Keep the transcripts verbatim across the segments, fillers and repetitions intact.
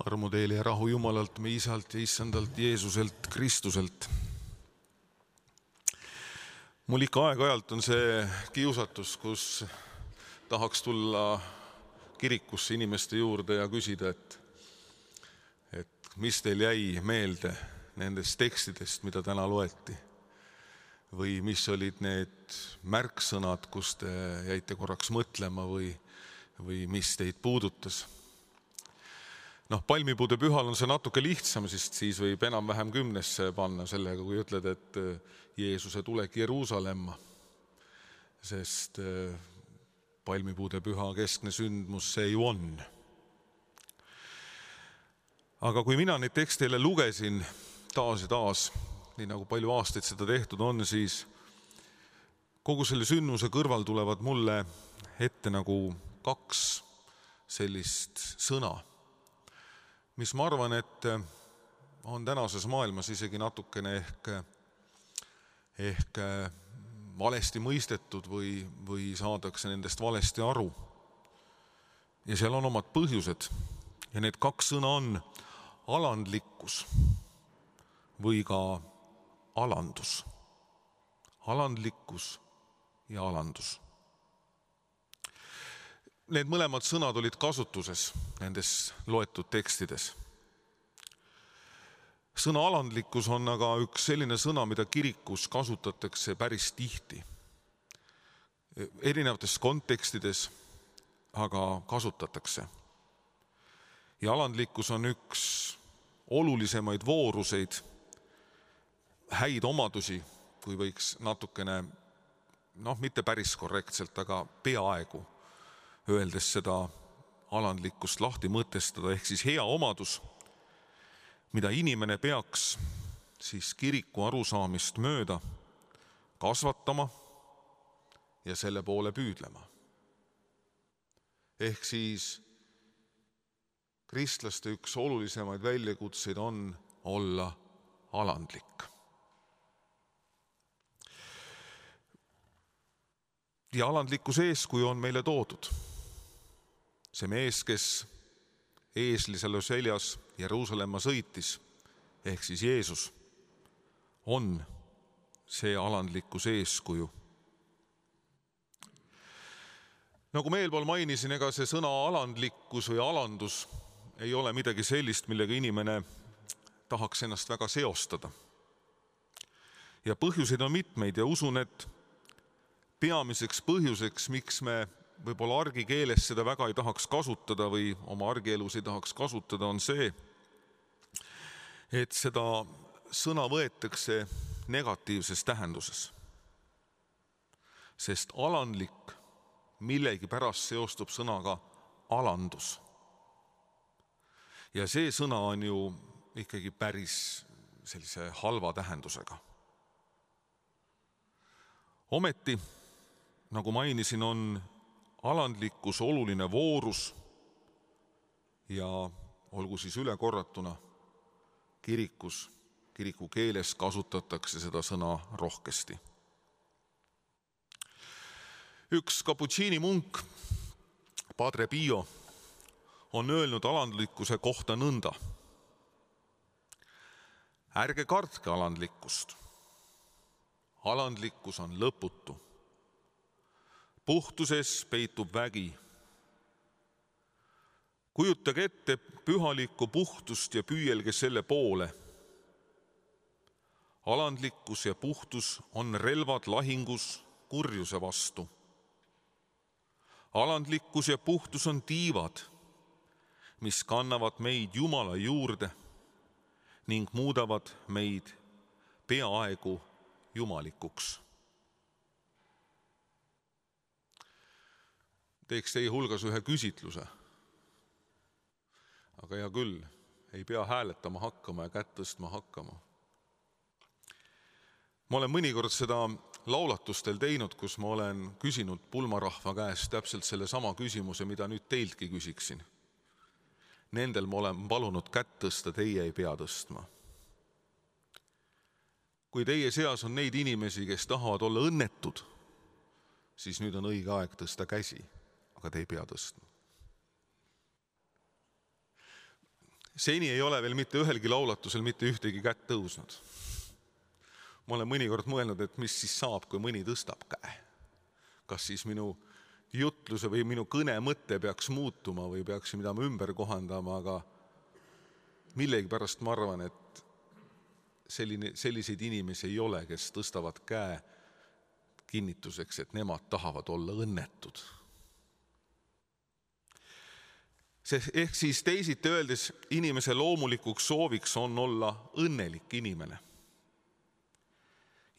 Armu teile ja rahu Jumalalt, me Isalt ja Issandalt Jeesuselt Kristuselt. Mul ikka aeg-ajalt on see kiusatus, kus tahaks tulla kirikusse inimeste juurde ja küsida, et, et mis teil jäi meelde nendest tekstidest, mida täna loeti. Või mis olid need märksõnad, kus te jäite korraks mõtlema või, või mis teid puudutas. Noh, palmipuude pühal on see natuke lihtsam, sest siis võib enam-vähem kümnesse panna sellega, kui ütled, et Jeesuse tulek Jeruusalemma. Sest palmipuude püha keskne sündmus see ju on. Aga kui mina neid teksteile lugesin taas ja taas, nii nagu palju aastaid seda tehtud on, siis kogu selle sündmuse kõrval tulevad mulle ette nagu kaks sellist sõna, mis ma arvan, et on tänases maailmas isegi natukene ehk, ehk valesti mõistetud või, või saadakse nendest valesti aru. Ja seal on omad põhjused. Ja need kaks sõna on alandlikkus või ka alandus. Alandlikkus ja alandus. Need mõlemad sõnad olid kasutuses nendes loetud tekstides. Sõna alandlikkus on aga üks selline sõna, mida kirikus kasutatakse päris tihti. Erinevates kontekstides aga kasutatakse. Ja alandlikkus on üks olulisemaid vooruseid, häid omadusi, kui võiks natukene, noh, mitte päris korrektselt, aga peaaegu öeldes seda alandlikkust lahti mõtestada, ehk siis hea omadus, mida inimene peaks siis kiriku arusaamist mööda kasvatama ja selle poole püüdlema. Ehk siis kristlaste üks olulisemaid väljakutseid on olla alandlik. Ja alandlikkuse eeskuju on meile toodud. See mees, kes eeslisele seljas Jeruusalemma sõitis, ehk siis Jeesus, on see alandlikkuse eeskuju. Nagu ma eelpool mainisin, ega see sõna alandlikkus või alandus ei ole midagi sellist, millega inimene tahaks ennast väga seostada. Ja põhjuseid on mitmeid ja usun, et peamiseks põhjuseks, miks me võib-olla argikeeles seda väga ei tahaks kasutada või oma argielus ei tahaks kasutada, on see, et seda sõna võetakse negatiivses tähenduses. Sest alandlik millegi pärast seostub sõnaga alandus. Ja see sõna on ju ikkagi päris sellise halva tähendusega. Ometi, nagu mainisin, on alandlikkus oluline voorus ja olgu siis üle korratuna, kirikus, kiriku keeles kasutatakse seda sõna rohkesti. Üks kaputsiini munk, Padre Pio, on öelnud alandlikkuse kohta nõnda. Ärge kartke alandlikkust. Alandlikkus on lõputu. Puhtuses peitub vägi. Kujutage ette pühalikku puhtust ja püüelge selle poole. Alandlikkus ja puhtus on relvad lahingus kurjuse vastu. Alandlikkus ja puhtus on tiivad, mis kannavad meid Jumala juurde ning muudavad meid peaaegu jumalikuks. Teeks teie hulgas ühe küsitluse. Aga hea küll, ei pea hääletama hakkama ja kätt tõstma hakkama. Ma olen mõnikord seda laulatustel teinud, kus ma olen küsinud pulmarahva käest täpselt selle sama küsimuse, mida nüüd teiltki küsiksin. Nendel ma olen palunud kätt tõsta, teie ei pea tõstma. Kui teie seas on neid inimesi, kes tahavad olla õnnetud, siis nüüd on õige aeg tõsta käsi, aga te ei pea tõstma. Seni ei ole veel mitte ühelgi laulatusel mitte ühtegi kätt tõusnud. Ma olen mõnikord mõelnud, et mis siis saab, kui mõni tõstab käe. Kas siis minu jutluse või minu kõne mõte peaks muutuma või peaks midagi ümber kohandama, aga millegi pärast ma arvan, et selline, selliseid inimesi ei ole, kes tõstavad käe kinnituseks, et nemad tahavad olla õnnetud. Ehk siis teisiti öeldes, inimese loomulikuks sooviks on olla õnnelik inimene.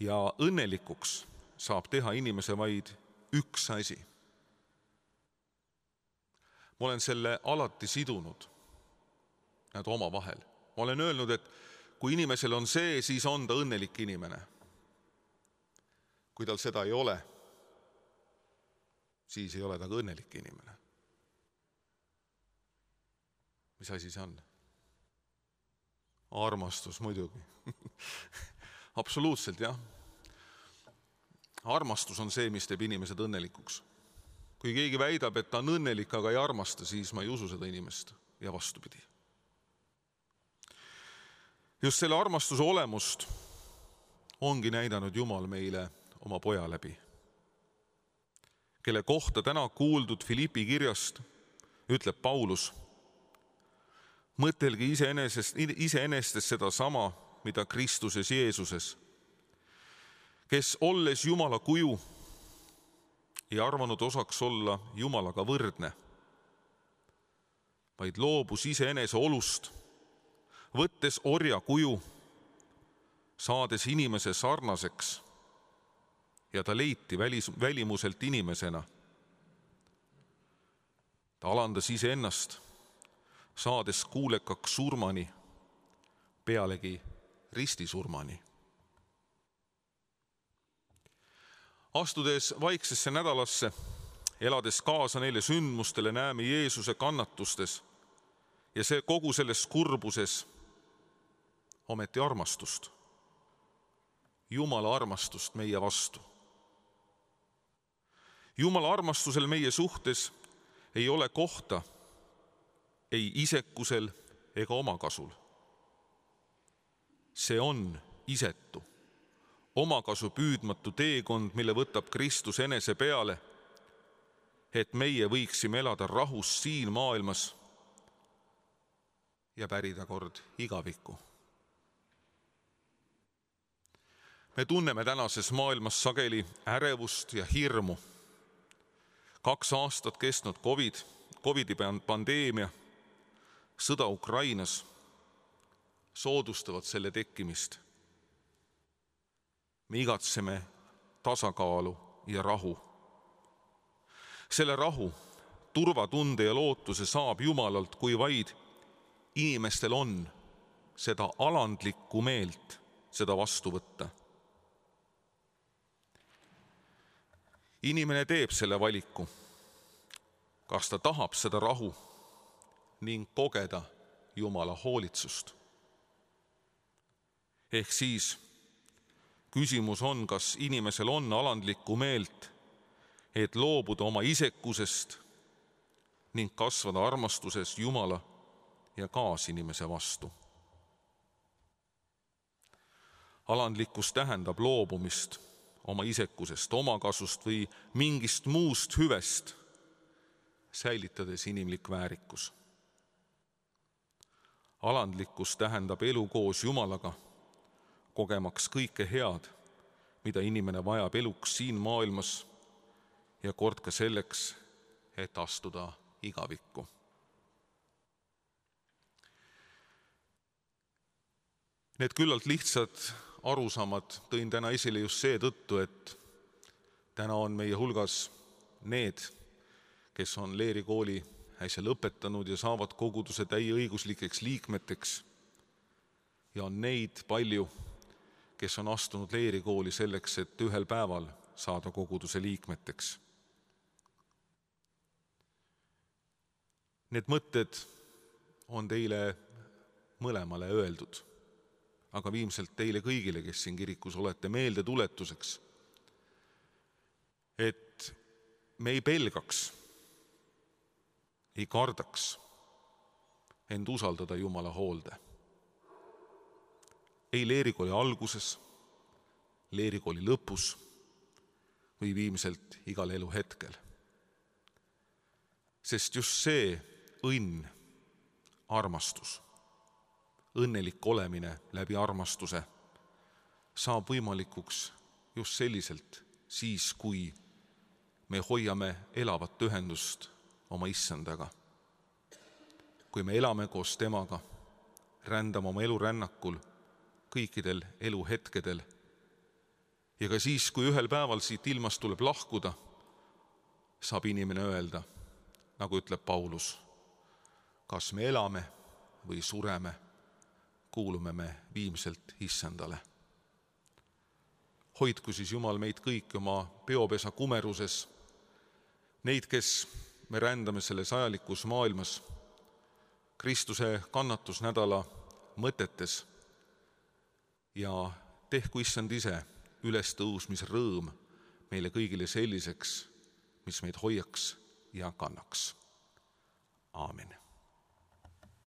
Ja õnnelikuks saab teha inimese vaid üks asi. Ma olen selle alati sidunud nad oma vahel. Ma olen öelnud, et kui inimesel on see, siis on ta õnnelik inimene. Kui tal seda ei ole, siis ei ole ta ka õnnelik inimene. Mis asi see on? Armastus muidugi. Absoluutselt, jah. Armastus on see, mis teeb inimesed õnnelikuks. Kui keegi väidab, et ta on õnnelik, aga ei armasta, siis ma ei usu seda inimest ja vastupidi. Just selle armastuse olemust ongi näidanud Jumal meile oma poja läbi, kelle kohta täna kuuldud Filippi kirjast ütleb Paulus: mõtelge iseenesest, iseenestes seda sama, mida Kristuses Jeesuses, kes olles Jumala kuju, ei arvanud osaks olla Jumalaga võrdne, vaid loobus iseenese olust, võttes orja kuju, saades inimese sarnaseks, ja ta leiti välis, välimuselt inimesena. Ta alandas iseennast, saades kuulekaks surmani, pealegi ristisurmani. Astudes vaiksesse nädalasse, elades kaasa neile sündmustele, näeme Jeesuse kannatustes ja see kogu selles kurbuses ometi armastust. Jumala armastust meie vastu. Jumala armastusel meie suhtes ei ole kohta ei isekusel ega omakasul. See on isetu, omakasu püüdmatu teekond, mille võtab Kristus enese peale, et meie võiksime elada rahus siin maailmas ja pärida kord igavikku. Me tunneme tänases maailmas sageli ärevust ja hirmu. Kaks aastat kestnud COVID, COVIDi pandeemia, sõda Ukrainas soodustavad selle tekkimist. Me igatseme tasakaalu ja rahu. Selle rahu, turvatunde ja lootuse saab Jumalalt, kui vaid inimestel on seda alandlikku meelt seda vastu võtta. Inimene teeb selle valiku, kas ta tahab seda rahu ning kogeda Jumala hoolitsust. Ehk siis küsimus on, kas inimesel on alandlikku meelt, et loobuda oma isekusest ning kasvada armastuses Jumala ja kaasinimese vastu. Alandlikkus tähendab loobumist oma isekusest, omakasust või mingist muust hüvest, säilitades inimlik väärikus. Alandlikkus tähendab elu koos Jumalaga, kogemaks kõike head, mida inimene vajab eluks siin maailmas ja kord ka selleks, et astuda igavikku. Need küllalt lihtsad arusaamad tõin täna esile just see tõttu, et täna on meie hulgas need, kes on leerikooli äsja lõpetanud ja saavad koguduse täieõiguslikeks liikmeteks. Ja on neid palju, kes on astunud leerikooli selleks, et ühel päeval saada koguduse liikmeteks. Need mõtted on teile mõlemale öeldud, aga viimselt teile kõigile, kes siin kirikus olete, meelde tuletuseks, et me ei pelgaks, ei kardaks, end usaldada Jumala hoolde. Ei leerikooli alguses, leerikooli lõpus või viimselt igal elu hetkel. Sest just see õnn, armastus, õnnelik olemine läbi armastuse saab võimalikuks just selliselt siis, kui me hoiame elavat ühendust oma issandaga. Kui me elame koos temaga, rändame oma elurännakul kõikidel eluhetkedel ja ka siis, kui ühel päeval siit ilmast tuleb lahkuda, saab inimene öelda, nagu ütleb Paulus, kas me elame või sureme, kuulume me viimselt issandale. Hoidku siis Jumal meid kõik oma peopesa kumeruses, neid, kes me rändame selles ajalikus maailmas, Kristuse kannatusnädala mõtetes ja tehku issand ise üles tõusmis rõõm meile kõigile selliseks, mis meid hoiaks ja kannaks. Aamen.